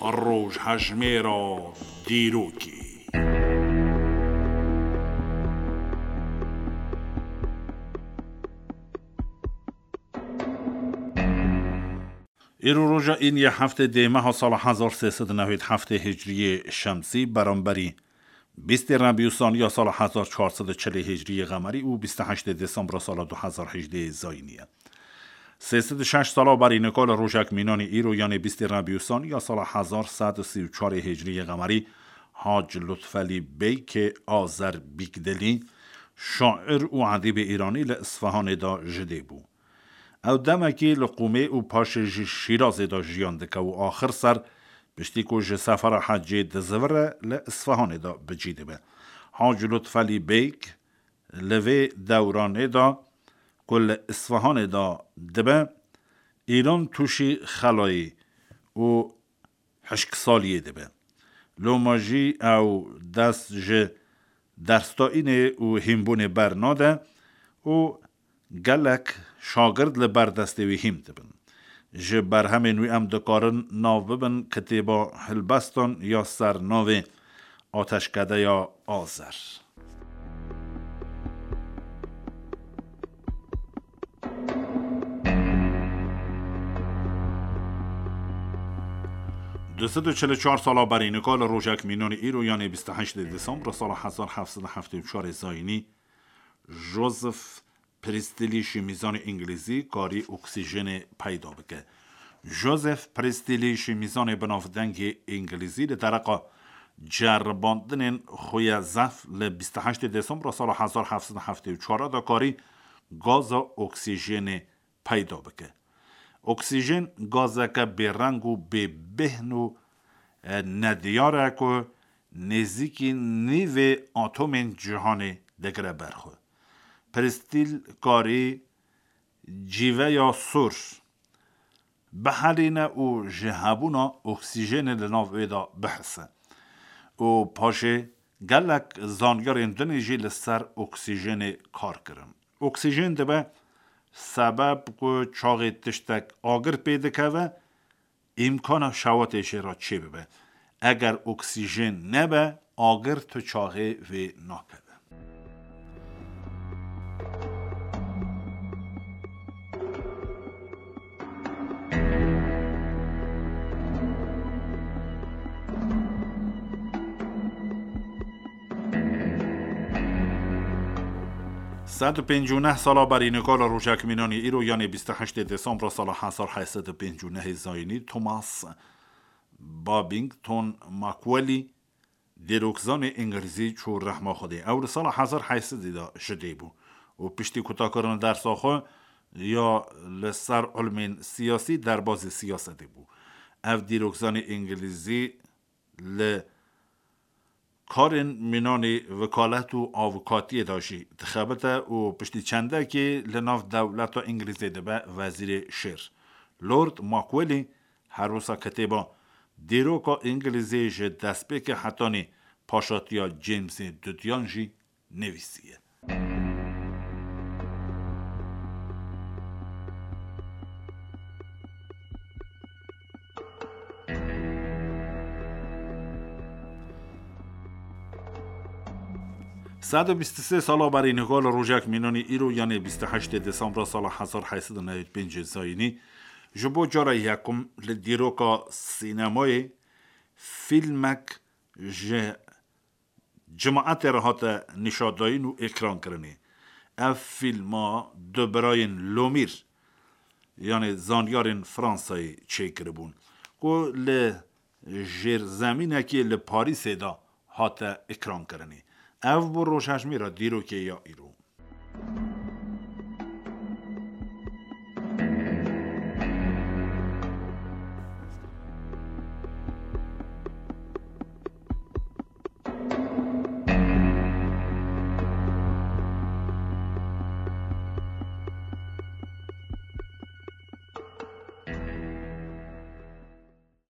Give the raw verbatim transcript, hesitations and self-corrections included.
Rojhejmêra dîrokê. Îro roja îniyê heftê dê meha sala hezar sê sed û newêd heftê hicriyê şemsî, beramberî bîstê Rebîûsaniya sala hezar çar sed û çilê hicriyê qemerî û bîst û heştê Desembra sala du hezar hejdê zayînî ye. Sê sed û şeş sala berî nika li rojek mînanî îro, yanê bîstê Rebîûsaniya sala hezar sed û sî û çarê hicriyê qemerî, Hac Lutfelî Beykê Azer Bîkdelî, şair û edîbê îranî, li Isfahanê de ji dê bû. Ew demekî li Qûmê û paşê ji Şîrazê de jiyan dike û axir ser, piştî ku ji sefera hecê dizivire, li Isfahanê de bi cî dibe. Hac Lutfelî Beyk li vê dewranê de ku li Isfahanê de dibe, Îran tûşî xelayî û hişksaliyê dibe. Loma jî ew dest ji dersdayînê û hînbûnê bernade û gelek şagirt li ber destê wî hîn dibin. Ji berhemên wî em dikarin nav bibin kitêba Hilbestan ya ser navê Ateşkedeya Azer. Du sed û çil û çar sala berî nika li rojek mînanî îro, yanê bîst û heştê Desembra sala hezar heft sed û heftê û çarê zayînî, Joseph Priestley, şîmîzanê îngilîzî, karî oksîjenê peyda bike. Joseph Priestley, şîmîzanê binavdengê îngilîzî, li dereqa ceribandinên xwe ye zehf li bîst û heştê Desembra sala hezar heft sed û heftê û çar de karî gaza oksîjenê peyda bike. Oksîjen gazeke bêreng û bêbêhn û, e, nediyar e ku nêzîkî nîvê atomên cîhanê digire ber xwe. Priestley karî cîveya sor bihelîne û ji hebûna oksîjenê li nav wê de bihise. Û paşê gelek zanyarên din jî li ser oksîjenê kar kirin. Oksîjen dibe sebeb ku çaxê tiştek agir pê dikeve, îmkana şewatê jê re çêbibe. Eger oksîjen nebe, agir tu çaxê vê nakeve. Sed û pêncî û neh sala berî nika li rojek mînanî îro, yanê bîst û heştê Desembra sala hezar heyt sed û pêncî û nehê zayînî, Thomas Babington Macaulay, dîrokzanê îngilîzî, çû rehma Xwedê. Ew li sala hezar heyt sedî de ji dê bû û piştî kutakirina dersa xwe ya li ser ilmên siyasî derbazî siyasetê bû. Ev dîrokzanê îngilîzî li karên mînanî wekalet û avukatiyê de jî dixebite û piştî çendekê li nav dewleta Îngilîzê dibe wezîrê şêr. Lord Macaulay her wisa kitêba Dîroka Îngilîzê ji destpêkê hetanî paşatiya Jamesê Dudiyan jî nivîsiye. Sed û bîst û sê sala berî nika li rojek mînanî îro, yanê bîst û heştê Desembra sala hezar heyt sed û newêd pêncê zayînî, ji bo cara yekum li dîroka sînemayê fîlmek ji cemaetê re hate nîşandayîn û ekrankirinê. Ev fîlma du birayên Lomîr, yanê zanyarên Fransayê çêkiribûn, ku li jêrzemînekê li Parîsê de hate ekrankirinê. Ev bû rojhejmêra dîrokê ya îro.